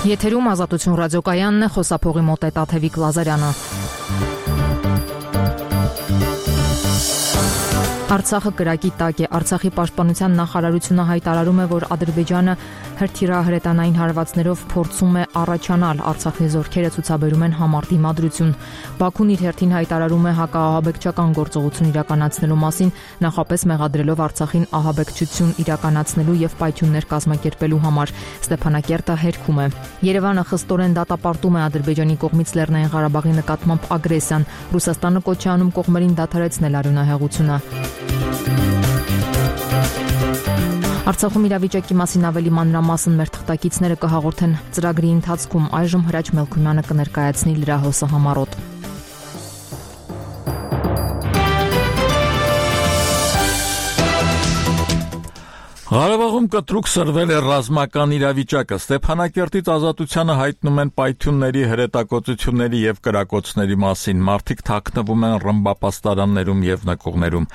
Եթերում Ազատություն ռադիոկայանն է, խոսափողի մոտ է Տաթևիկ Լազարյանը։ Արցախը կրակի տակ է։ Արցախի պաշտպանության նախարարությունը հայտարարում է, որ Ադրբեջանը հրթիռահրետանային հարվածներով փորձում է առաջանալ։ Արցախի զորքերը ցուցաբերում են համառ դիմադրություն։ Բաքուն իր հերթին հայտարարում է հակաահաբեկչական գործողություն իրականացնելու մասին, նախապես մեղադրելով Արցախին ահաբեկչություն իրականացնելու եւ պայթյուններ կազմակերպելու համար։ Ստեփանակերտը հերքում է։ Երևանը խստորեն դատապարտում է Ադրբեջանի կողմից Լեռնային Ղարաբաղի նկատմամբ ագրեսիան։ Ռուսաստանը կոչ է անում կողմերին դադարեցնել արյունահեղությունը։ Արցախում իրավիճակի մասին ավելի մանրամասն մեր թղթակիցները կհաղորդեն ծրագրի ընթացքում։ Այժմ Հրաչ Մելքումյանը կներկայացնի լրահոսը համառոտ։ Ղարաբաղում կտրուկ սրվել է ռազմական իրավիճակը։ Ստեփանակերտից Ազատությանը հայտնում են պայթյունների, հրետակոծությունների եւ կրակոցների մասին։ Մարդիկ թաքնվում են ռմբապաստարաններում եւ նկուղներում։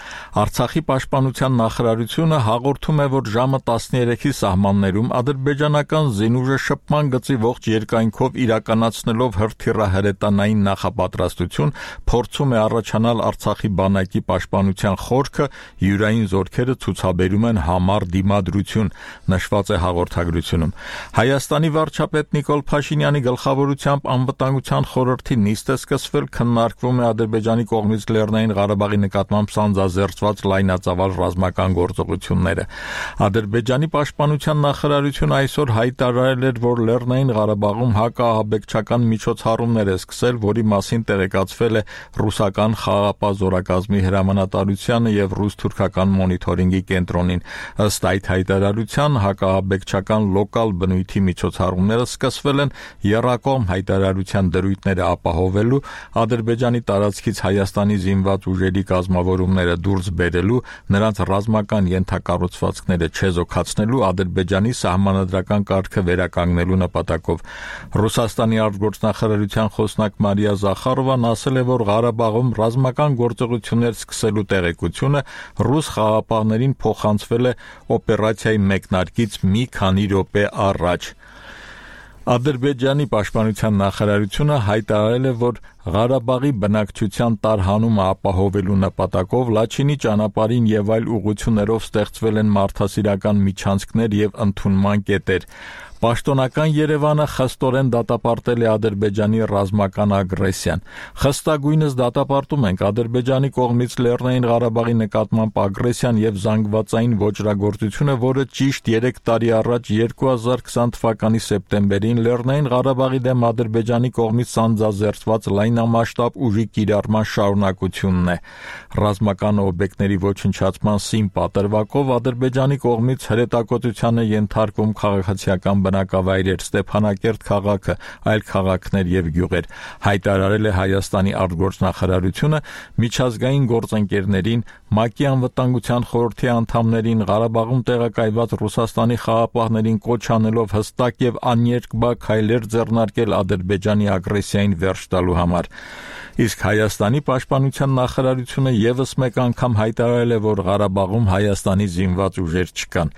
Արցախի պաշտպանության նախարարությունը հաղորդում է, որ ժամը 13-ի սահմաններում ադրբեջանական զինուժը շփման գծի ողջ երկայնքով իրականացնելով հրթիռահրետանային նախապատրաստություն փորձում է առաջանալ Արցախի բանակի պաշտպանության խորքը, յուրային զորքերը ցուցաբերում են համառ դիմադրություն, նշված է հաղորդագրությունում։ Հայաստանի վարչապետ Նիկոլ Փաշինյանի գլխավորությամբ անվտանգության խորհրդի նիստ է սկսվել, քննարկվում է Ադրբեջանի կողմից Լեռնային Ղարաբաղի նկատմամբ սանձազերծված լայնածավալ ռազմական գործողությունները։ Ադրբեջանի պաշտպանության նախարարությունը այսօր հայտարարել էր, որ Լեռնային Ղարաբաղում հակաահաբեկչական միջոցառումներ է սկսել, որի մասին տեղեկացվել է ռուսական խաղաղապահ զորակազմի հրամանատարությանը եւ ռուս-թուրքական մոնիթորինգի կենտրոնին։ Ըստ այդ հայտարարության հակաահաբեկչական լոկալ բնույթի միջոցառումները սկսվել են եռակողմ հայտարարության դրույթները ապահովելու, Ադրբեջանի տարածքից Հայաստանի զինված ուժերի կազմավորումները դուրս բերելու, նրանց ռազմական ենթակառուցվածքները չեզոքացնելու, Ադրբեջանի սահմանադրական կարգը վերականգնելու նպատակով։ Ռուսաստանի արտգործնախարարության խոսնակ Մարիա Զախարովան ասել է, որ Ղարաբաղում ռազմական գործողություններ սկսելու տեղեկությունը ռուս խաղաղապահներին փոխանցվել է օպերացիայի մեկնարկից մի քանի րոպե առաջ։ Ադրբեջանի պաշտպանության նախարարությունը հայտարարել է, որ Ղարաբաղի բնակչության տարհանումը ապահովելու նպատակով Լաչինի ճանապարհին եւ այլ ուղղություններով ստեղծվել են մարդասիրական միջանցքներ եւ ընդունման կետեր։ Պաշտոնական Երևանը խստորեն դատապարտել է Ադրբեջանի ռազմական ագրեսիան։ Խստագույնս դատապարտում ենք Ադրբեջանի կողմից Լեռնային Ղարաբաղի նկատմամբ ագրեսիան եւ զանգվածային ոճրագործությունը, որը ճիշտ 3 տարի առաջ 2020 թվականի սեպտեմբերին Լեռնային Ղարաբաղի դեմ Ադրբեջանի կողմից սանձազերծված լայնամասշտաբ ուժի կիրառման շարունակությունն է։ Ռազմական օբյեկտների ոչնչացման սին պատրվակով Ադրբեջանի կողմից հրետակոծության է ենթարկվում քաղաքացիական բնակավայրեր, Ստեփանակերտ քաղաքը, այլ քաղաքներ եւ գյուղեր, հայտարարել է Հայաստանի արտգործնախարարությունը միջազգային գործընկերներին, ՄԱԿ-ի անվտանգության խորհրդի անդամներին, Ղարաբաղում տեղակայված Ռուսաստանի խաղաղապահներին կոչ անելով հստակ եւ աներկբա քայլեր ձեռնարկել Ադրբեջանի ագրեսիային վերջ տալու համար։ Իսկ Հայաստանի պաշտպանության նախարարությունը եւս մեկ անգամ հայտարարել է, որ Ղարաբաղում Հայաստանի զինված ուժեր չկան։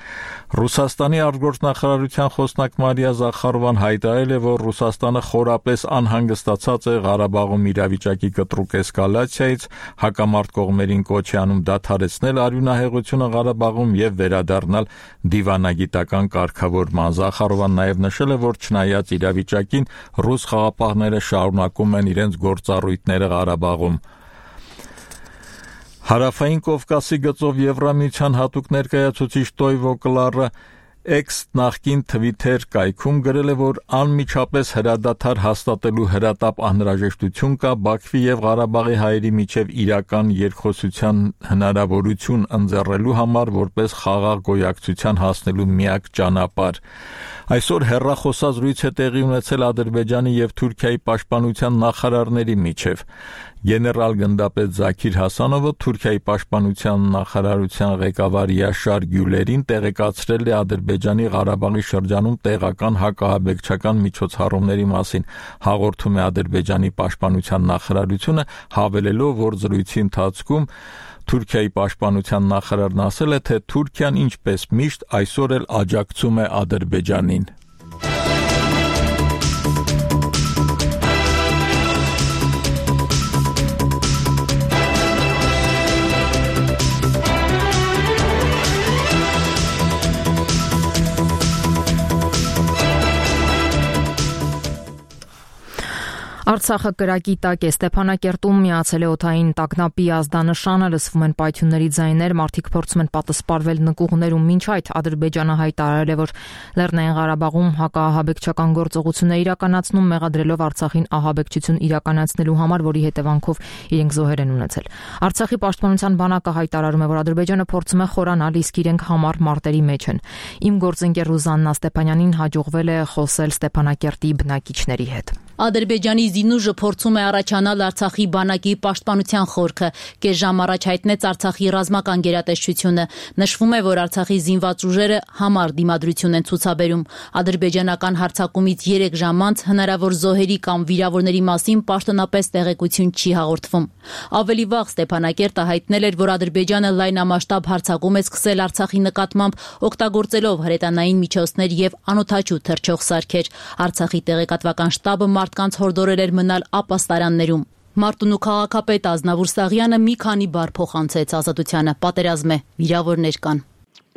Ռուսաստանի արտգործնախարարության խոսնակ Մարիա Զախարովան հայտարարել է, որ Ռուսաստանը խորապես անհանգստացած է Ղարաբաղում իրավիճակի կտրուկ էսկալացիայից, հակամարտ կողմերին կոչ է անում դադարեցնել արյունահեղությունը Ղարաբաղում եւ վերադառնալ դիվանագիտական կարգավորման։ Զախարովան նաեւ նշել է, որ չնայած իրավիճակին ռուս խաղաղապահները շարունակում են իրենց գործառույթները Ղարաբաղում։ Հարավային Կովկասի գծով Եվրամիության հատուկ ներկայացուցիչ Տոյվո Կլարը X նախկին Twitter կայքում գրել է, որ անմիջապես հրադադար հաստատելու հրատապ անհրաժեշտություն կա Բաքվի եւ Ղարաբաղի հայերի միջև իրական երկխոսության հնարավորություն ընձեռելու համար, որպես խաղաղ գոյակցության հասնելու միակ ճանապարհ։ Այսօր հեռախոսազրույց է տեղի ունեցել Ադրբեջանի եւ Թուրքիայի պաշտպանության նախարարների միջև։ Գեներալ գնդապետ Զաքիր Հասանովը Թուրքիայի պաշտպանության նախարարության ղեկավար Յաշար Գյուլերին տեղեկացրել է Ադրբեջանի Ղարաբաղի շրջանում տեղական հակաահաբեկչական միջոցառումների մասին, հաղորդում է Ադրբեջանի պաշտպանության նախարարությունը, հավելելով, որ զրույցի ընթացքում Թուրքիայի պաշտպանության նախարարն ասել է, թե Թուրքիան ինչպես միշտ այսօր էլ աջակցում է Ադրբեջանին։ Արցախը կրակի տակ է, Ստեփանակերտում միացել է օդային տագնապի ազդանշանը, լսվում են պայթյունների ձայներ, մարդիկ փորձում են պատսպարվել նկուղներում, մինչ այդ Ադրբեջանը հայտարարել է, որ Լեռնային Ղարաբաղում հակաահաբեկչական գործողություններ իրականացնում, մեղադրելով Արցախին ահաբեկչություն իրականացնելու համար, որի հետևանքով իրենք զոհեր են ունեցել։ Արցախի պաշտպանության բանակը հայտարարում է, որ Ադրբեջանը փորձում է խորանալ, իսկ իրենք համառ մարտերի մեջ են։ Իմ գործընկեր Ռուզաննա Ստեփանյանին հաջողվել է խոսել Ստեփանակերտի բնակիչների հետ։ Ադրբեջանի զինուժը փորձում է առաջանալ Արցախի բանակի պաշտպանության խորքը։ Կես ժամ առաջ հայտնեց Արցախի ռազմական գերատեսչությունը։ Նշվում է, որ Արցախի զինված ուժերը համառ դիմադրություն են ցուցաբերում։ Ադրբեջանական հարձակումից 3 ժամ անց հնարավոր զոհերի կամ վիրավորների մասին պաշտոնապես տեղեկություն չի հաղորդվում։ Ավելի վաղ Ստեփանակերտը հայտնել էր, որ Ադրբեջանը լայնամասշտաբ հարձակում է սկսել Արցախի նկատմամբ, օգտագործելով հրետանային միջոցներ եւ անօդաչու թռչող սարքեր։ Արցախի տեղեկատվական շտաբը մարդկանց հորդորել էր մնալ ապաստարաններում։ Մարտունու քաղաքապետ Ազնավուր Սաղյանը մի քանի բառ փոխանցեց Ազատությանը։ Պատերազմ է, վիրավորներ կան։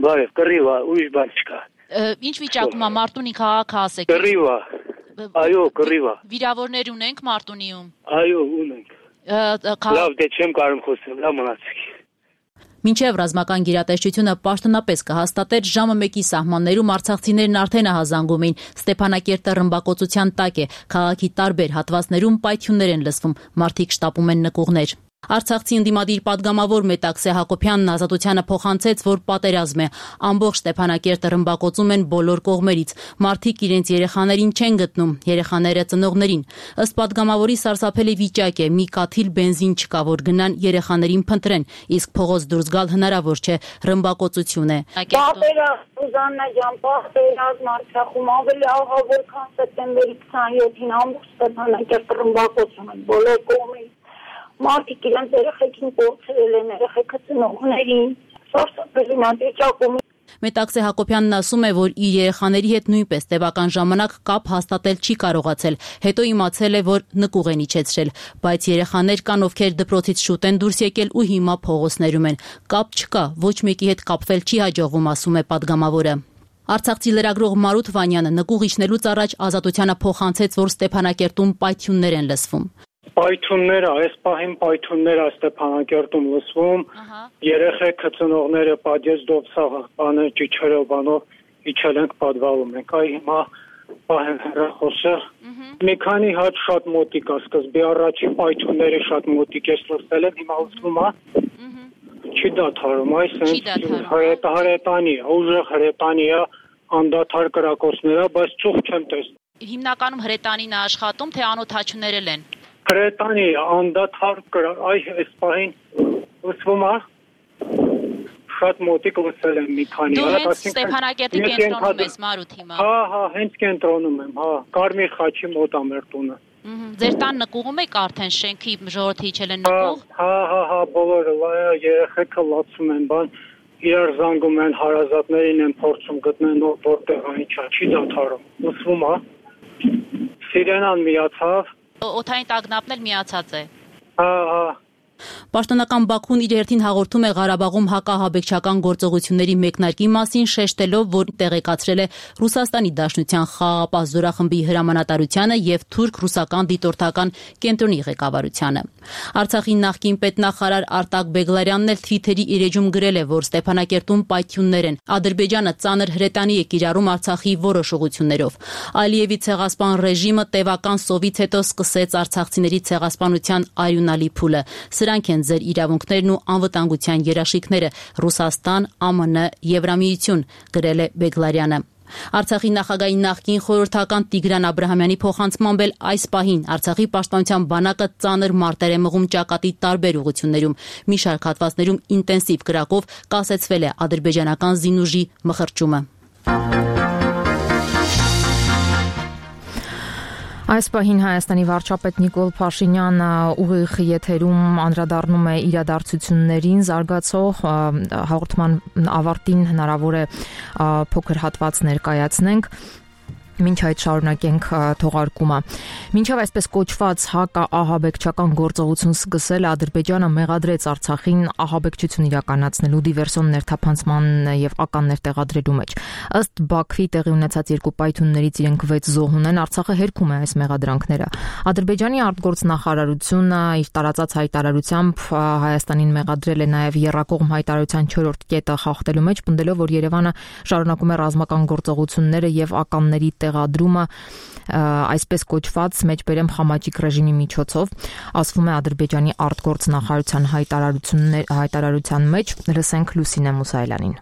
Բարև, կռիվ է, ուրիշ բան չկա։ Ինչ վիճակում է Մարտունի քաղաքը, ասեք։ Կռիվ է։ Այո, կռիվ է։ Վիրավորներ ունենք Մարտունիում։ Այո, ունենք։ Լավ, դե չեմ կարող խոսել, լավ մնացեք։ Մինչև ռազմական գերատեսչությունը պաշտոնապես կհաստատեր ժամը 1-ի սահմաններում արցախցիներն արդեն ահազանգում էին։ Ստեփանակերտը ռմբակոծության տակ է, քաղաքի տարբեր հատվածներում պայթյուններ են լսվում, մարդիկ շտապում են նկուղներ։ Արցախցի ընդդիմադիր падգամավոր Մետաքսե Հակոբյանն Ազատությանը փոխանցեց, որ պատերազմ է։ Ամբողջ Ստեփանակերտը ռմբակոծում են բոլոր կողմերից։ Մարդիկ իրենց երեխաներին չեն գտնում, երեխաները ծնողներին։ Ըստ падգամավորի սարսափելի վիճակ է, մի կաթիլ բենզին չկա, որ գնան երեխաներին փնտրեն, իսկ փողոց դուրս գալ հնարավոր չէ, ռմբակոծություն է։ Ռուզաննա ջան, պատերազմ Արցախում ավելի աղավոր, քան սեպտեմբերի 27-ին ամբողջ Ստեփանակերտը ռմբակոծում են բոլոր կողմերից։ Մարդիկ իրենց երեխեքին կորցրել են, երեխեքը ծնողներին, սարսափելի վիճակում։ Մետաքսե Հակոբյանն ասում է, որ իր երեխաների հետ նույնպես տևական ժամանակ կապ հաստատել չի կարողացել, հետո իմացել է, որ նկուղ են իջեցրել, բայց երեխաներ կան, ովքեր դպրոցից շուտ են դուրս եկել ու հիմա փողոցներում են։ Կապ չկա, ոչ մեկի հետ կապվել չի հաջողվում, ասում է падգամավորը։ Արցախցի լրագրող Մարութ Վանյանը նկուղ իջնելուց առաջ Ազատությանը փոխանցեց, որ Ստեփանակերտում պայթյուններ են լսվում։ Պայթյունները, այս պահին պայթյունները Ստեփանակերտում լսվում, երեխեքը ծնողները պատեզդով սաղ բանը ճիչերով բանով իջել ենք պատվալում ենք, այ հիմա պահեն հեռախոսը, մի քանի հատ շատ մոտիկ է, սկզբի առաջին պայթյունները շատ մոտիկ ես լսել եմ, հիմա լսվում է, չի դադարում, այս հրետանի է, ուժեղ հրետանի է, անդադար կրակոցներ է, բայց ծուխ չեմ տեսնում։ Հիմնականում հրետանին է աշխատում, թե անօդաչուներ են։ Հրետանի անդադար այս պահին լսվում է, շատ մոտիկ լսել եմ մի քանի։ Դու հենց Ստեփանակերտի կենտրոնում ես Մարութ հիմա։ Հա, հենց կենտրոնում եմ, հա, Կարմիր խաչի մոտ է մեր տունը։ Ձեր տան նկուղում եք արդեն շենքի ժողովրդի իջել են նկուղ։ Հա, բոլորը երեխեքը լացում են, բան իրար զանգում են, հարազատներին են փորձում գտնել որտեղ ինչա, չի դադարում։ Լսվում է։ Սիրենան միացավ։ Օդային տագնապն էլ միացած է։ Հա։ Պաշտոնական Բաքուն իր հերթին հաղորդում է Ղարաբաղում հակահաբեկչական գործողությունների մեկնարկի մասին, շեշտելով, որ տեղեկացրել է Ռուսաստանի Դաշնության խաղաղապահ զորախմբի հրամանատարությանը եւ թուրք-ռուսական դիտորդական կենտրոնի ղեկավարությանը։ Արցախի նախկին պետնախարար Արտակ Բեգլարյանն էլ Թվիթերի իր էջում գրել է, որ Ստեփանակերտում պայթյուններ են։ Ադրբեջանը ծանր հրետանի է կիրառում Արցախի որոշ ուղություններով։ Ալիևի ցեղասպան ռեժիմը տևական սովից հետո սկսեց արցախցիների ցեղասպանության արյունալի փուլը։ Սրանք են ձեր իրավունքներն ու անվտանգության երաշխիքները, Ռուսաստան, ԱՄՆ, Եվրամիություն, գրել է Բեգլարյանը։ Արցախի նախագահի նախկին խորհրդական Տիգրան Աբրահամյանի փոխանցմամբ էլ այս պահին Արցախի պաշտպանության բանակը ծանր մարտեր է մղում ճակատի տարբեր ուղություններում։ Մի շարք հատվածներում ինտենսիվ կրակով կասեցվել է ադրբեջանական զինուժի մխրճումը։ Այս պահին Հայաստանի վարչապետ Նիկոլ Փաշինյանը ուղիղ եթերում անդրադառնում է իրադարձություններին, զարգացող հաղորդման ավարտին հնարավոր է փոքր հատված ներկայացնենք։ Մինչ այդ շարունակենք թողարկումը։ Մինչև այսպես կոչված հակաահաբեկչական գործողություն սկսել, Ադրբեջանը մեղադրեց Արցախին ահաբեկչություն իրականացնելու դիվերսիոն ներթափանցման եւ ականներ տեղադրելու մեջ։ Ըստ Բաքվի տեղի ունեցած երկու պայթյուններից իրենք 6 զոհ ունեն, Արցախը հերքում է այս մեղադրանքները։ Ադրբեջանի արտգործնախարարությունը իր տարածած հայտարարությամբ Հայաստանին մեղադրել է նաեւ եռակողմ հայտարարության 4-րդ կետը խախտելու մեջ, պնդելով, որ Երևանը շարունակում է ռազմական գործողությունները եւ ականների տեղադրումը այսպես կոչված մեջբերեմ խամաճիկ ռեժիմի միջոցով, ասվում է Ադրբեջանի արտգործնախարարության հայտարարության մեջ, լսենք Լուսինե Մուսայելյանին։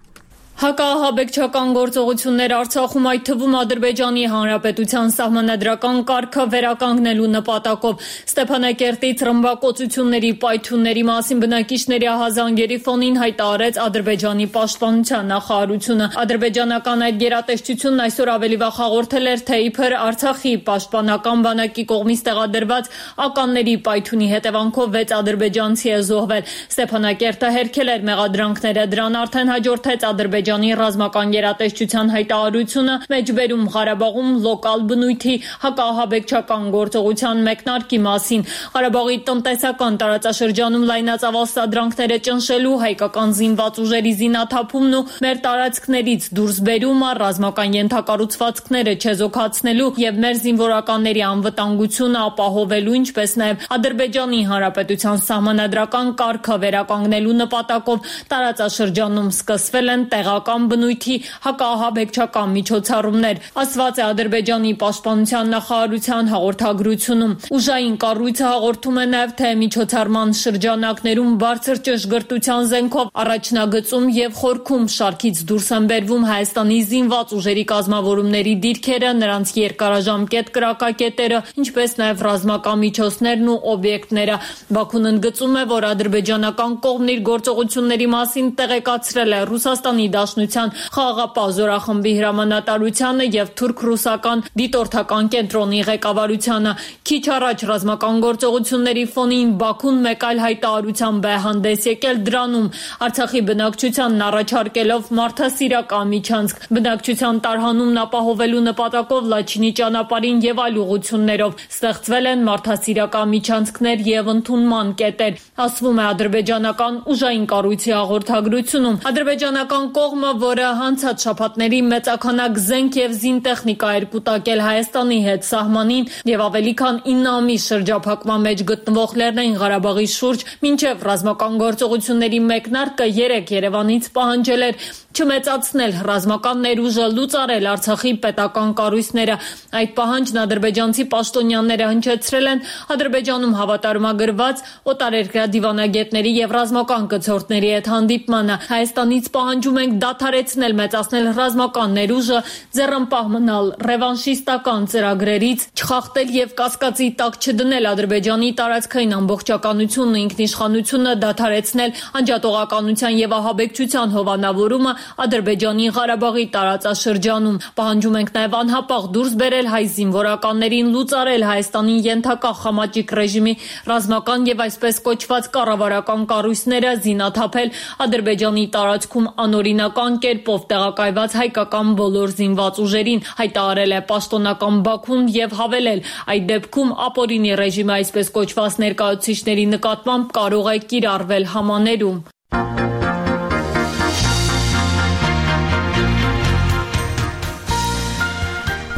Հակաահաբեկչական գործողություններ Արցախում, այդ թվում Ադրբեջանի Հանրապետության սահմանադրական կարգը վերականգնելու նպատակով Ստեփանակերտից ռմբակոծությունների պայթյունների մասին բնակիչների ահազանգերի ֆոնին հայտարարեց Ադրբեջանի պաշտպանության նախարարությունը։ Ադրբեջանական այդ գերատեսչությունն այսօր ավելի վաղ հաղորդել էր, թե իբր Արցախի պաշտպանական բանակի կողմից տեղադրված ականների պայթյունի հետևանքով 6 ադրբեջանցի է զոհվել։ Ստեփանակերտը հերքել էր մեղադրանքները, դրան արդեն հաջորդեց Ադրբեջանի ռազմական գերատեսչության հայտարարությունը մեջբերում Ղարաբաղում լոկալ բնույթի հակաահաբեկչական գործողության մեկնարկի մասին։ Ղարաբաղի տնտեսական տարածաշրջանում լայնածավալ սադրանքները ճնշելու, հայկական զինված ուժերի զինաթափումն ու մեր տարածքներից դուրս բերումը, ռազմական ենթակառուցվածքները չեզոքացնելու եւ մեր զինվորականների անվտանգությունը ապահովելու, ինչպես նաեւ Ադրբեջանի Հանրապետության սահմանադրական կարգը վերականգնելու նպատակով տարածաշրջանում սկսվել են տեղական բնույթի հակաահաբեկչական միջոցառումներ, ասված է Ադրբեջանի պաշտպանության նախարարության հաղորդագրությունում։ Ուժային կառույցը հաղորդում է նաև, թե միջոցառման շրջանակներում բարձր ճշգրտության զենքով առաջնագծում եւ խորքում շարքից դուրս են բերվում Հայաստանի զինված ուժերի կազմավորումների դիրքերը, նրանց երկարաժամկետ կրակակետերը, ինչպես նաև ռազմական միջոցներն ու օբյեկտները։ Բաքուն ընդգծում է, որ ադրբեջանական կողմն իր գործողությունների մասին տեղեկացրել է Ռուսաստանի Դաշնության խաղաղապահ զորախմբի հրամանատարությանը եւ թուրք-ռուսական դիտորդական կենտրոնի ղեկավարությանը։ Քիչ առաջ ռազմական գործողությունների ֆոնին Բաքուն մեկ այլ հայտարարությամբ է հանդես եկել, դրանում Արցախի բնակչությանն առաջարկելով մարդասիրական միջանցք, բնակչության տարհանումն ապահովելու նպատակով Լաչինի ճանապարհին եւ այլ ուղղություններով ստեղծվել են մարդասիրական միջանցքներ եւ ընդունման կետեր, ասվում է ադրբեջանական ուժային կառույցի հաղորդագրությունում։ Ադրբեջանական կողմը, որը անցած շաբաթների մեծաքանակ զենք եւ զինտեխնիկա էր կուտակել Հայաստանի հետ սահմանին եւ ավելի քան 9 ամիս շրջափակման մեջ գտնվող Լեռնային Ղարաբաղի շուրջ, մինչեւ ռազմական գործողությունների մեկնարկը 3 Երևանից պահանջել էր չմեծացնել ռազմական ներուժը, լուծարել Արցախի պետական կառույցները։ Այդ պահանջն ադրբեջանցի պաշտոնյաները հնչեցրել են Ադրբեջանում հավատարմագրված օտարերկրյա դիվանագետների եւ ռազմական կցորդների հետ հանդիպմանը։ Հայաստանից պահանջում ենք դադարեցնել մեծացնել ռազմական ներուժը, ձեռնպահ մնալ ռևանշիստական ծրագրերից, չխախտել եւ կասկածի տակ չդնել Ադրբեջանի տարածքային ամբողջականությունն ու ինքնիշխանությունը, դադարեցնել անջատողականության եւ ահաբեկչության հովանավորումը Ադրբեջանի Ղարաբաղի տարածաշրջանում։ Պահանջում ենք նաև անհապաղ դուրս բերել հայ զինվորականներին, լուծարել Հայաստանի ենթակա խամաճիկ ռեժիմի ռազմական եւ այսպես կոչված կառավարական կառույցները, զինաթափել Ադրբեջանի տարածքում անօրինական կերպով տեղակայված հայկական բոլոր զինված ուժերին, հայտարարել է պաշտոնական Բաքուն եւ հավելել, այդ դեպքում ապօրինի ռեժիմը այսպես կոչված ներկայացուցիչների նկատմամբ կարող է կիրառվել համաներում։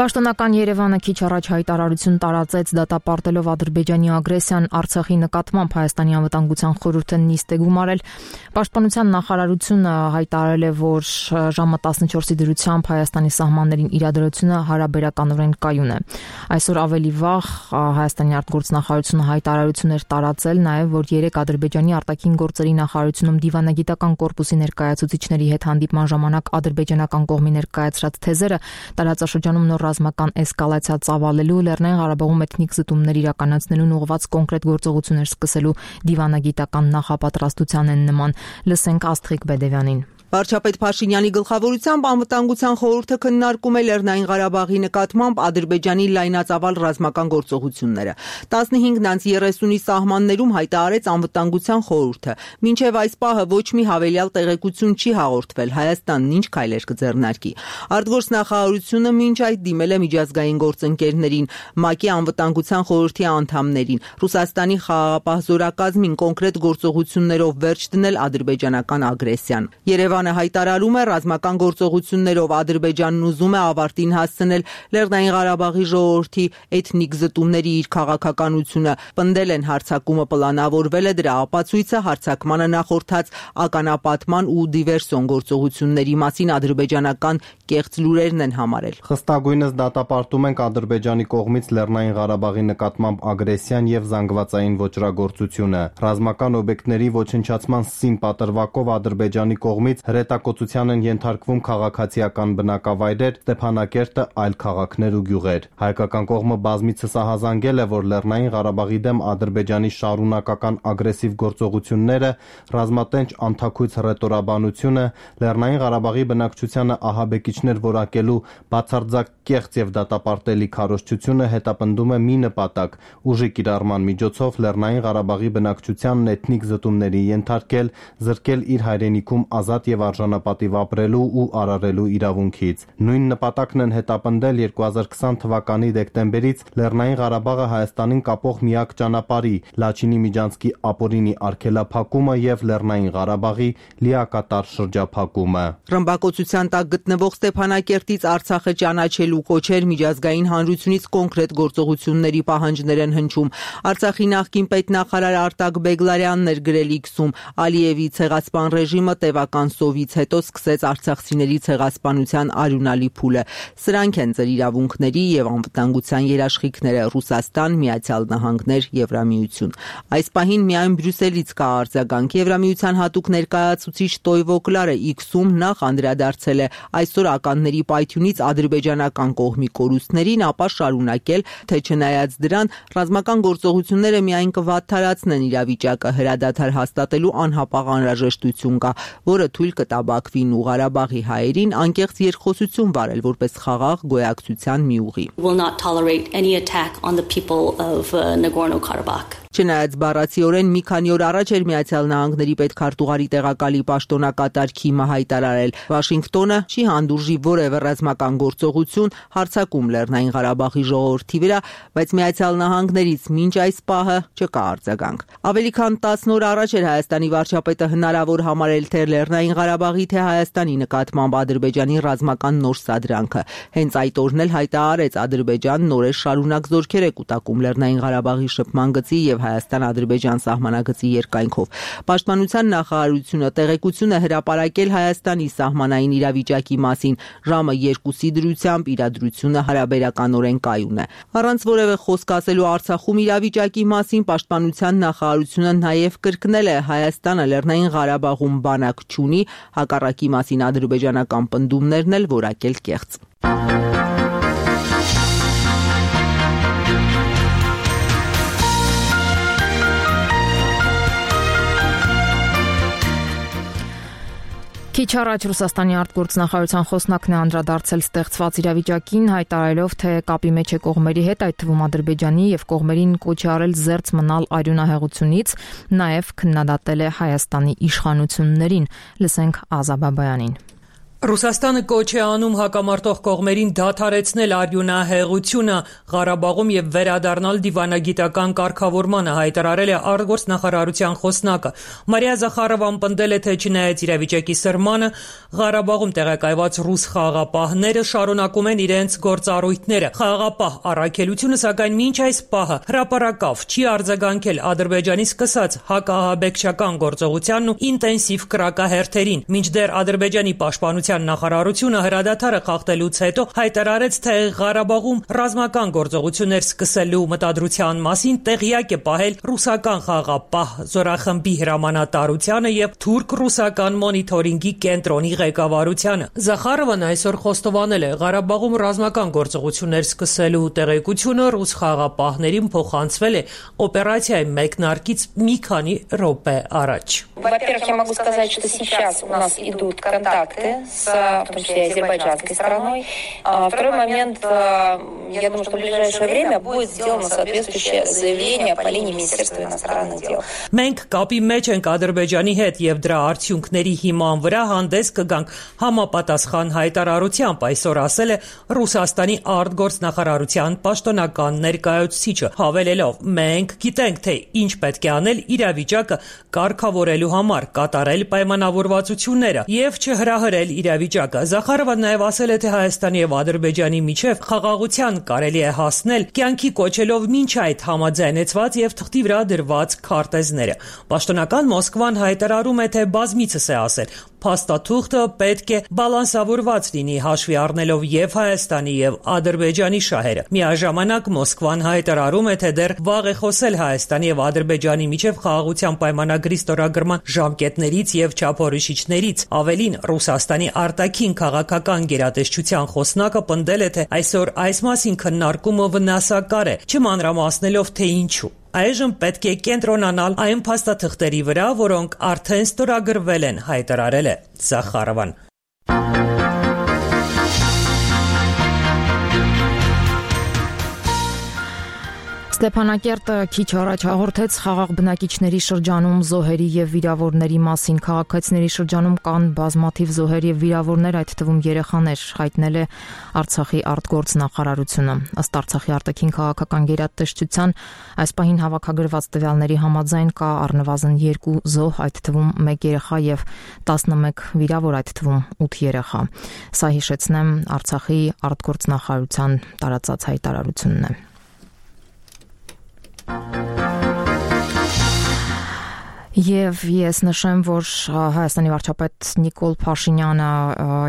Պաշտոնական Երևանը քիչ առաջ հայտարարություն տարածեց դատապարտելով Ադրբեջանի ագրեսիան Արցախի նկատմամբ Հայաստանի անվտանգության խորհուրդը նիստ է գումարել։ Պաշտպանության նախարարությունը հայտարարել է, որ ժամը 14-ի դրությամբ Հայաստանի սահմաններին իրադրությունը հարաբերականորեն կայուն է։ Այսօր ավելի վաղ Հայաստանի արտգործնախարարությունը հայտարարություն էր տարածել նաև, որ 3 Ադրբեջանի արտաքին գործերի նախարարությունում դիվանագիտական կորպուսի ներկայացուցիչների հետ հանդիպման ժամանակ ադրբեջանական կողմի ներկայացրած թեզերը տարածաշրջանում նոր ռազմական էսկալացիա ծավալելու, Լեռնային Ղարաբաղում էթնիկ զտումներ իրականացնելուն ուղղված կոնկրետ գործողություններ սկսելու դիվանագիտական նախապատրաստության են նման։ Լսենք Աստղիկ Բեդևյանին։ Վարչապետ Փաշինյանի գլխավորությամբ անվտանգության խորհուրդը քննարկում է Լեռնային Ղարաբաղի նկատմամբ Ադրբեջանի լայնածավալ ռազմական գործողությունները։ 15:30-ի սահմաններում հայտարարեց անվտանգության խորհուրդը։ Մինչև այս պահը ոչ մի հավելյալ տեղեկություն չի հաղորդվել Հայաստանն ինչ քայլեր կձեռնարկի։ Արտգործնախարարությունը մինչ այդ դիմել է միջազգային գործընկերներին, ՄԱԿ-ի անվտանգության խորհրդի անդամներին, Ռուսաստանի խաղաղապահ զորակազմին կոնկրետ գործողություններով վերջ դնել ադրբեջանական ագրեսիան։ Երևանը հայտարարում է ռազմական գործողություններով Ադրբեջանն ուզում է ավարտին հասցնել Լեռնային Ղարաբաղի ժողովրդի էթնիկ զտումների իր քաղաքականությունը, պնդել են հարձակումը պլանավորվել է դրա ապացույցը հարձակմանը նախորդած ականապատման ու դիվերսիոն գործողությունների մասին ադրբեջանական կեղծ լուրերն են համարել։ Խստագույնս դատապարտում ենք Ադրբեջանի կողմից Լեռնային Ղարաբաղի նկատմամբ ագրեսիան եւ զանգվածային ոճրագործությունը։ Ռազմական օբյեկտների ոչնչացման սին պատրվակով Ադրբեջանի կողմից հրետակոծության են ենթարկվում քաղաքացիական բնակավայրեր, Ստեփանակերտը, այլ քաղաքներ ու գյուղեր։ Հայկական կողմը բազմիցս ահազանգել է, որ Լեռնային Ղարաբաղի դեմ Ադրբեջանի շարունակական ագրեսիվ գործողությունները, ռազմատենչ անթաքույց հռետորաբանությունը, Լեռնային Ղարաբաղի բնակչությանը ահաբեկիչներ որակելու բացարձակ կեղծ եւ դատապարտելի քարոզչությունը հետապնդում է մի նպատակ՝ ուժի կիրառման միջոցով Լեռնային Ղարաբաղի բնակչությանն էթնիկ զտումների ենթարկել, զրկել իր հայրենիքում ազատ եւ արժանապատիվ ապրելու ու արարելու իրավունքից։ Նույն նպատակն են հետապնդել 2020 թվականի դեկտեմբերից Լեռնային Ղարաբաղը Հայաստանին կապող միակ ճանապարհի Լաչինի միջանցքի ապօրինի արգելափակումը եւ Լեռնային Ղարաբաղի լիակատար շրջափակումը։ Ռմբակոծության տակ գտնվող Ստեփանակերտից Արցախը ճանաչելու կոչեր միջազգային հանրությունից կոնկրետ գործողությունների պահանջներ են հնչում։ Արցախի նախկին պետնախարար Արտակ Բեգլարյանն էր գրել X-ում. Ալիևի ցեղասպան ռեժիմը տևական սովից հետո սկսեց արցախցիների ցեղասպանության արյունալի փուլը։ Սրանք են ձեր իրավունքների եւ անվտանգության երաշխիքները՝ Ռուսաստան, Միացյալ Նահանգներ, Եվրամիություն։ Այս պահին միայն Բրյուսելից կա արձագանք։ Եվրամիության հատուկ ներկայացուցիչ Տոյվո Կլարը X-ում նախ անդրադարձել է այսօր ականների պայթյունից ադրբեջանական կողմի կորուստներին, ապա շարունակել, թե չնայած դրան ռազմական գործողությունները միայն կվատթարացնեն իրավիճակը, հրադադար հաստատելու անհապաղ անհրաժեշտություն կա, որը թույլ կտա Բաքվին ու Ղարաբաղի հայերին անկեղծ երկխոսություն վարել որպես խաղաղ գոյակցության մի ուղի։ Չնայած բառացիորեն մի քանի օր առաջ էր Միացյալ Նահանգների պետքարտուղարի տեղակալի պաշտոնակատար Քիմը հայտարարել. Վաշինգտոնը չի հանդուրժի որևէ ռազմական գործողություն հարձակում Լեռնային Ղարաբաղի ժողովրդի վրա, բայց Միացյալ Նահանգներից մինչ այս պահը չկա արձագանք։ Ավելի քան 10 օր առաջ էր Հայաստանի վարչապետը հնարավոր համարել թե Լեռնային Ղարաբաղի, թե Հայաստանի նկատմամբ Ադրբեջանի ռազմական նոր սադրանքը։ Հենց այդ օրն էլ հայտարարեց Ադրբեջանն նորեր շարունակ զորքեր է կուտակում Լեռնային Ղարաբաղի շփման գծի եւ Հայաստան-Ադրբեջան սահմանագծի երկայնքով։ Պաշտպանության նախարարությունը տեղեկություն է հրապարակել Հայաստանի սահմանային իրավիճակի մասին։ Ժամը 2-ի դրությամբ իրադրությունը հարաբերականորեն կայուն է։ Առանց որևէ խոսք ասելու Արցախում իրավիճակի մասին պաշտպանության նախարարությունը նաև կրկնել է Հայաստանը Լեռնային Ղարաբաղում բանակ չունի, հակառակի մասին ադրբեջանական պնդումներն էլ որակել կեղծ։ Քիչ առաջ Ռուսաստանի արտգործնախարարության խոսնակն է անդրադարձել ստեղծված իրավիճակին, հայտարարելով, թե կապի մեջ է կողմերի հետ, այդ թվում Ադրբեջանի եւ կողմերին կոչ է արել զերծ մնալ արյունահեղությունից, նաեւ քննադատել է Հայաստանի իշխանություններին։ Լսենք Ազա Բաբայանին։ Ռուսաստանը կոչ է անում հակամարտող կողմերին դադարեցնել արյունահեղությունը Ղարաբաղում եւ վերադառնալ դիվանագիտական կարգավորմանը, հայտարարել է արտգործնախարարության խոսնակը։ Մարիա Զախարովան պնդել է, թե չնայած իրավիճակի սրմանը, Ղարաբաղում տեղակայված ռուս խաղաղապահները շարունակում են իրենց գործառույթները։ Խաղաղապահ առաքելությունը, սակայն մինչ այս պահը հրապարակավ չի արձագանքել Ադրբեջանի սկսած հակահաբեկչական գործողությանն ու ինտենսիվ կրակահերթերին, մինչդեռ Ադրբեջանի պաշտպանության արտադրության նախարարությունը հրադադարը խախտելուց հետո հայտարարեց, թե Ղարաբաղում ռազմական գործողություններ սկսելու մտադրության մասին տեղյակ է պահել ռուսական խաղաղապահ զորախմբի հրամանատարությանը եւ թուրք-ռուսական մոնիթորինգի կենտրոնի ղեկավարությանը։ Զախարովան այսօր խոստովանել է, Ղարաբաղում ռազմական գործողություններ սկսելու տեղեկությունը ռուս խաղաղապահներին փոխանցվել է օպերացիայի մեկնարկից մի քանի րոպե առաջ։ Во-первых, я могу сказать, что сейчас у нас идут контакты с, в том числе, азербайджанской стороной. Второй момент, я думаю, что в ближайшее время будет сделано соответствующее заявление по линии Министерства иностранных дел. Մենք կապի մեջ ենք Ադրբեջանի հետ եւ դրա արդյունքների հիման վրա հանդես կգանք համապատասխան հայտարարությամբ, այսօր ասել է Ռուսաստանի արտգործնախարարության պաշտոնական ներկայացուցիչը, հավելելով. մենք գիտենք, թե ինչ պետք է անել իրավիճակը կարգավորելու համար, կատարել պայմանավորվածությունները եւ չհրահրել իրավիճակը։ Զախարովը նաեւ ասել է, թե Հայաստանի եւ Ադրբեջանի միջև խաղաղության կարելի է հասնել կյանքի կոչելով մինչ այդ համաձայնեցված եւ թղթի վրա դրված քարտեզները։ Պաշտոնական Մոսկվան հայտարարում է, թե բազմիցս է ասել, փաստաթուղթը պետք է բալանսավորված լինի, հաշվի առնելով եւ Հայաստանի եւ Ադրբեջանի շահերը։ Միաժամանակ Մոսկվան հայտարարում է, թե դեռ վաղ է խոսել Հայաստանի եւ Ադրբեջանի միջև խաղաղության պայմանագրի ստորագրման ժամկետներից եւ չափորոշիչներից։ Ավելին, Ռուսաստանի արտաքին քաղաքական գերատեսչության խոսնակը պնդել է, թե այսօր այս մասին քննարկումը վնասակար է, չմանրամասնելով, թե ինչու։ Այժմ պետք է կենտրոնանալ այն փաստաթղթերի վրա, որոնք արդեն ստորագրվել են, հայտարարել է Զախարովան։ Ստեփանակերտը քիչ առաջ հաղորդեց խաղաղ բնակիչների շրջանում զոհերի եւ վիրավորների մասին։ Քաղաքացիների շրջանում կան բազմաթիվ զոհեր եւ վիրավորներ, այդ թվում երեխաներ, հայտնել է Արցախի արտգործնախարարությունը։ Ըստ Արցախի արտաքին քաղաքական գերատեսչության այս պահին հավաքագրված տվյալների համաձայն կա առնվազն 2 զոհ, այդ թվում 1 երեխա եւ 11 վիրավոր, այդ թվում 8 երեխա։ Սա հիշեցնեմ Արցախի արտգործնախարարության տարածած հայտարարությունն է։ Եվ ես նշեմ, որ Հայաստանի վարչապետ Նիկոլ Փաշինյանը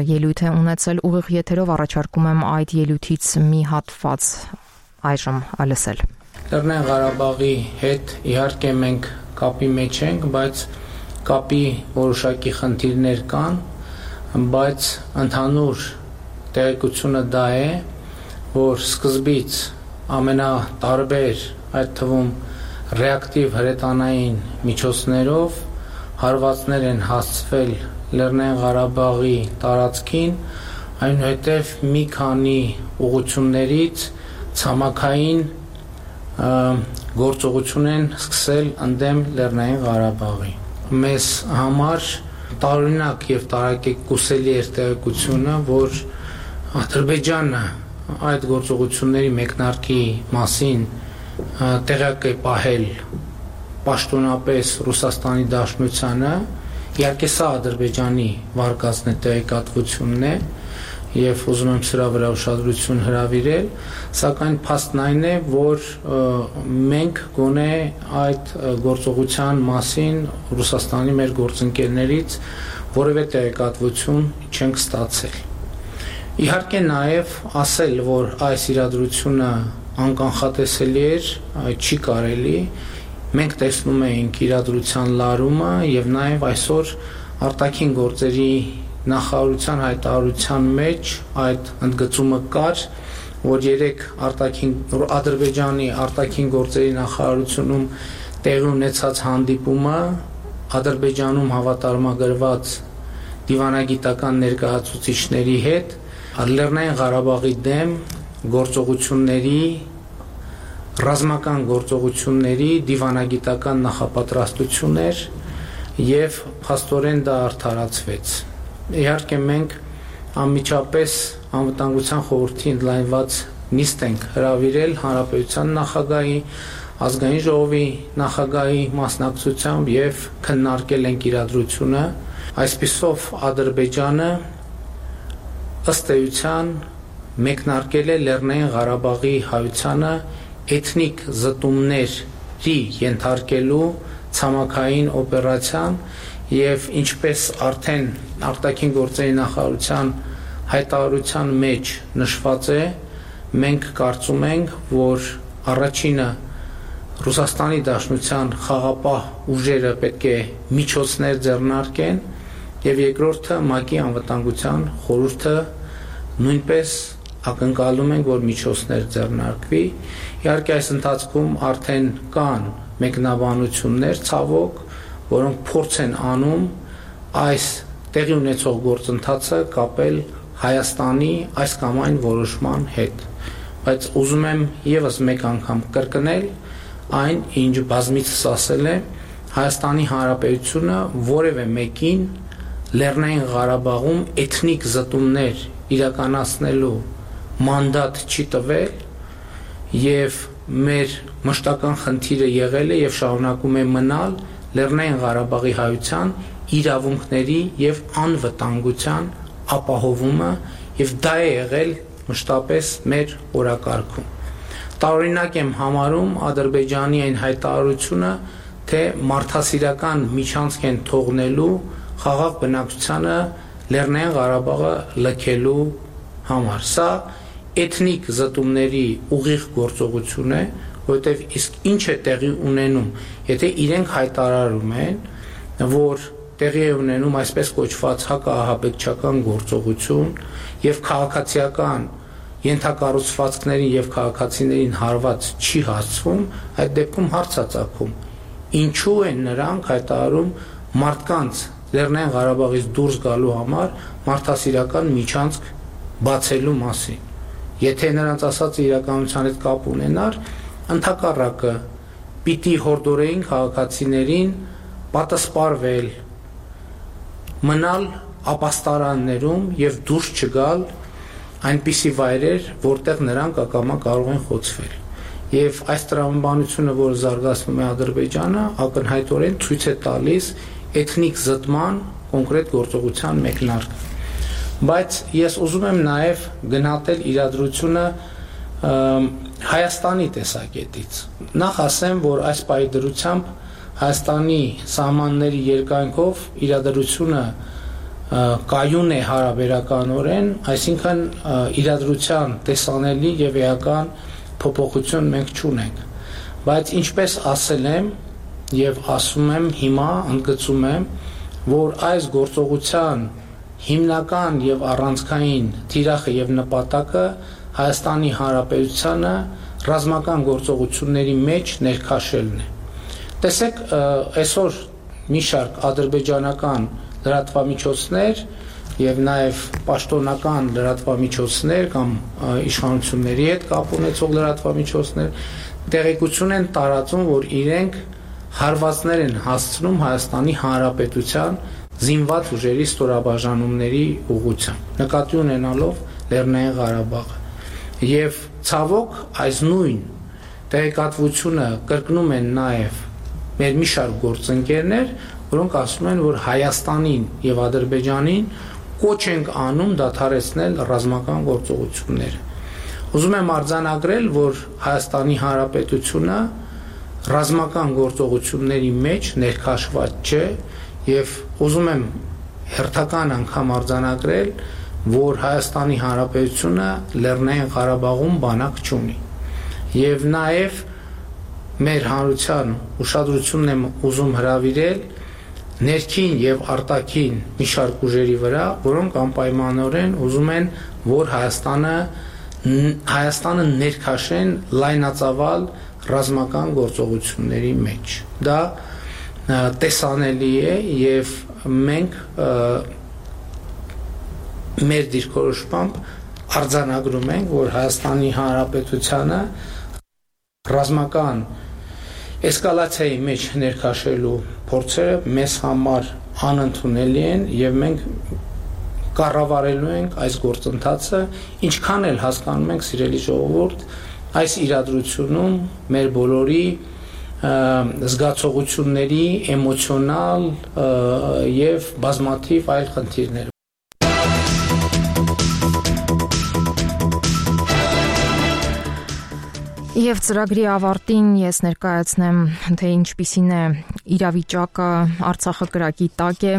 ելույթ է ունեցել ուղիղ եթերով, առաջարկում եմ այդ ելույթից մի հատված այժմ լսել։ Լեռնային Ղարաբաղի հետ իհարկե մենք կապի մեջ ենք, բայց կապի որոշակի խնդիրներ կան, բայց ընդհանուր տեղեկությունը դա է, որ սկզբից ամենատարբեր, այդ թվում ռեակտիվ հրետանային միջոցներով հարվածներ են հասցվել Լեռնային Ղարաբաղի տարածքին, այնուհետև մի քանի ուղղություններից ցամաքային գործողություն են սկսել ընդդեմ Լեռնային Ղարաբաղի։ Մեզ համար տարօրինակ եւ տարակեկուսելի էր տեղեկությունը, որ Ադրբեջանը այդ գործողությունների մեկնարկի մասին տեղյակ է պահել պաշտոնապես Ռուսաստանի Դաշնությանը, իհարկե սա Ադրբեջանի վարկածն է տեղեկատվությունն է եւ ուզում եմ սրա վրա ուշադրություն հրավիրել, սակայն փաստն այն է, որ մենք գոնե այդ գործողության մասին Ռուսաստանի մեր գործընկերներից որևէ տեղեկատվություն չենք ստացել։ Իհարկե նաև ասել, որ այս իրադրությունը անկանխատեսելի էր, չի կարելի, մենք տեսնում էինք իրադրության լարումը եւ նաև այսօր արտաքին գործերի նախարարության հայտարարության մեջ այդ ընդգծումը կար, որ երեք Ադրբեջանի արտաքին գործերի նախարարությունում տեղի ունեցած հանդիպումը Ադրբեջանում հավատարմագրված դիվանագիտական ներկայացուցիչների հետ Լեռնային Ղարաբաղի դեմ գործողությունների, ռազմական գործողությունների դիվանագիտական նախապատրաստություն էր եւ փաստորեն դա արդարացվեց։ Իհարկե մենք անմիջապես անվտանգության խորհրդի ընդլայնված նիստ ենք հրավիրել հանրապետության նախագահի, ազգային ժողովի նախագահի մասնակցությամբ եւ քննարկել ենք իրադրությունը։ Այսպիսով Ադրբեջանը ըստ էության մեկնարկել է Լեռնային Ղարաբաղի հայությանը էթնիկ զտումների ենթարկելու ցամաքային օպերացիան եւ ինչպես արդեն արտաքին գործերի նախարարության հայտարարության մեջ նշված է, մենք կարծում ենք, որ առաջինը Ռուսաստանի Դաշնության խաղապահ ուժերը պետք է միջոցներ ձեռնարկեն եւ երկրորդը ՄԱԿ-ի անվտանգության խորհուրդը նույնպես ակնկալում ենք, որ միջոցներ ձեռնարկվի։ Իհարկե այս ընթացքում արդեն կան մեկնաբանություններ, ցավոք, որոնք փորձ են անում այս տեղի ունեցող գործընթացը կապել Հայաստանի այս կամ այն որոշման հետ։ Բայց ուզում եմ եւս մեկ անգամ կրկնել այն, ինչ բազմիցս ասել է, Հայաստանի Հանրապետությունը որևէ մեկին Լեռնային Ղարաբաղում էթնիկ զտումներ իրականացնելու մանդատ չի տվել եւ մեր մշտական խնդիրը եղել է եւ շարունակում է մնալ Լեռնային Ղարաբաղի հայության իրավունքների եւ անվտանգության ապահովումը եւ դա է եղել մշտապես մեր օրակարգում։ Տարօրինակ եմ համարում Ադրբեջանի այն հայտարարությունը, թե մարդասիրական միջանցք են թողնելու խաղաղ բնակչությանը Լեռնային Ղարաբաղը լքելու համար։ Սա էթնիկ զտումների ուղիղ գործողություն է, որովհետև իսկ ինչ է տեղի ունենում, եթե իրենք հայտարարում են, որ տեղի է ունենում այսպես կոչված հակաահաբեկչական գործողություն եւ քաղաքացիական ենթակառուցվածքներին եւ քաղաքացիներին հարված չի հասցվում, այդ դեպքում հարց է ծագում. ինչու են նրանք հայտարարում մարդկանց Լեռնային Ղարաբաղից դուրս գալու համար մարդասիրական միջանցք բացելու մասին։ Եթե նրանց ասածը իրականության հետ կապ ունենար, ընդհակառակը պիտի հորդորեին քաղաքացիներին պատասպարվել, մնալ ապաստարաններում եւ դուրս չգալ այնպիսի վայրեր, որտեղ նրանք ակամա կարող են խոցվել։ Եվ այս տրամաբանությունը, որը զարգացնում է Ադրբեջանը, ակնհայտորեն ցույց է տալիս էթնիկ զտման կոնկրետ գործողության մեկնարկը։ Բայց ես ուզում եմ նաև գնահատել իրադրությունը Հայաստանի տեսակետից։ Նախ ասեմ, որ այս պահի դրությամբ Հայաստանի սահմանների երկայնքով իրադրությունը կայուն է հարաբերականորեն, այսինքն իրադրության տեսանելի եւ էական փոփոխություն մենք չունենք։ Բայց ինչպես ասել եմ եւ ասում եմ հիմա, ընդգծում եմ, որ այս գործողության հիմնական եւ առանցքային թիրախը եւ նպատակը Հայաստանի Հանրապետությանը ռազմական գործողությունների մեջ ներքաշելն է։ Տեսեք, այսօր մի շարք ադրբեջանական լրատվամիջոցներ եւ նաեւ պաշտոնական լրատվամիջոցներ կամ իշխանությունների հետ կապ ունեցող լրատվամիջոցներ տեղեկություն են տարածում, որ իրենք հարվածներ են հասցնում Հայաստանի Հանրապետության զինված ուժերի ստորաբաժանումների ուղղությամբ, նկատի ունենալով Լեռնային Ղարաբաղը։ Եվ ցավոք այս նույն տեղեկատվությունը կրկնում են նաեւ մեր մի շարք գործընկերներ, որոնք ասում են, որ Հայաստանին եւ Ադրբեջանին կոչ ենք անում դադարեցնել ռազմական գործողությունները։ Ուզում եմ արձանագրել, որ Հայաստանի Հանրապետությունը ռազմական գործողությունների մեջ ներքաշված չէ եւ ուզում եմ հերթական անգամ արձանագրել, որ Հայաստանի Հանրապետությունը Լեռնային Ղարաբաղում բանակ չունի։ Եվ նաեւ մեր հանրության ուշադրությունն եմ ուզում հրավիրել ներքին եւ արտաքին մի շարք ուժերի վրա, որոնք անպայմանորեն ուզում են, որ Հայաստանը ներքաշեն լայնածավալ ռազմական գործողությունների մեջ։ Դա տեսանելի է եւ մենք մեր դիրքորոշմամբ արձանագրում ենք, որ Հայաստանի Հանրապետությանը ռազմական էսկալացիայի մեջ ներքաշելու փորձերը մեզ համար անընդունելի են եւ մենք կառավարելու ենք այս գործընթացը, ինչքան էլ հասկանում ենք, սիրելի ժողովուրդ, այս իրադրությունում մեր բոլորի զգացողությունների էմոցիոնալ եւ բազմաթիվ այլ խնդիրներ Եվ ծրագրի ավարտին ես ներկայացնեմ, թե ինչպիսին է իրավիճակը Արցախը կրակի տակ է։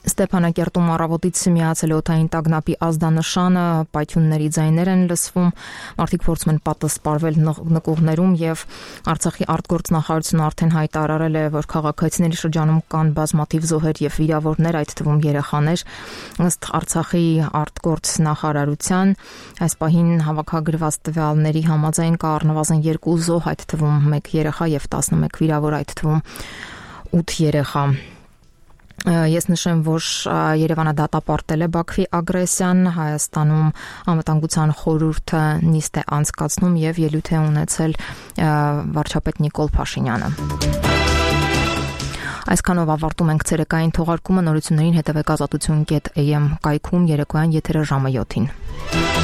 Ստեփանակերտում առավոտից միացել օդային տագնապի ազդանշանը, պայթյունների ձայներ են լսվում, մարդիկ փորձում են պատասպարվել նկուղներում եւ Արցախի արտգործնախարարությունը արդեն հայտարարել է, որ քաղաքացիների շրջանում կան բազմաթիվ զոհեր եւ վիրավորներ, այդ թվում երեխաներ։ Ըստ Արցախի արտգործնախարարության այս պահին հավաքագրված տվյալների համաձայն կա առնվազն 2 զոհ, այդ թվում 1 երեխա եւ 11 վիրավոր, այդ թվում 8 երեխա։ Ես նշեմ, որ Երևանը դատապարտել է Բաքվի ագրեսիան, Հայաստանում անվտանգության խորհուրդը նիստ է անցկացնում եւ ելույթ է ունեցել վարչապետ Նիկոլ Փաշինյանը։ Այսքանով ավարտում ենք ցերեկային թողարկումը, նորություններին հետևեք azatutun.am կայքում երեկոյան եթերը ժամը 7-ին։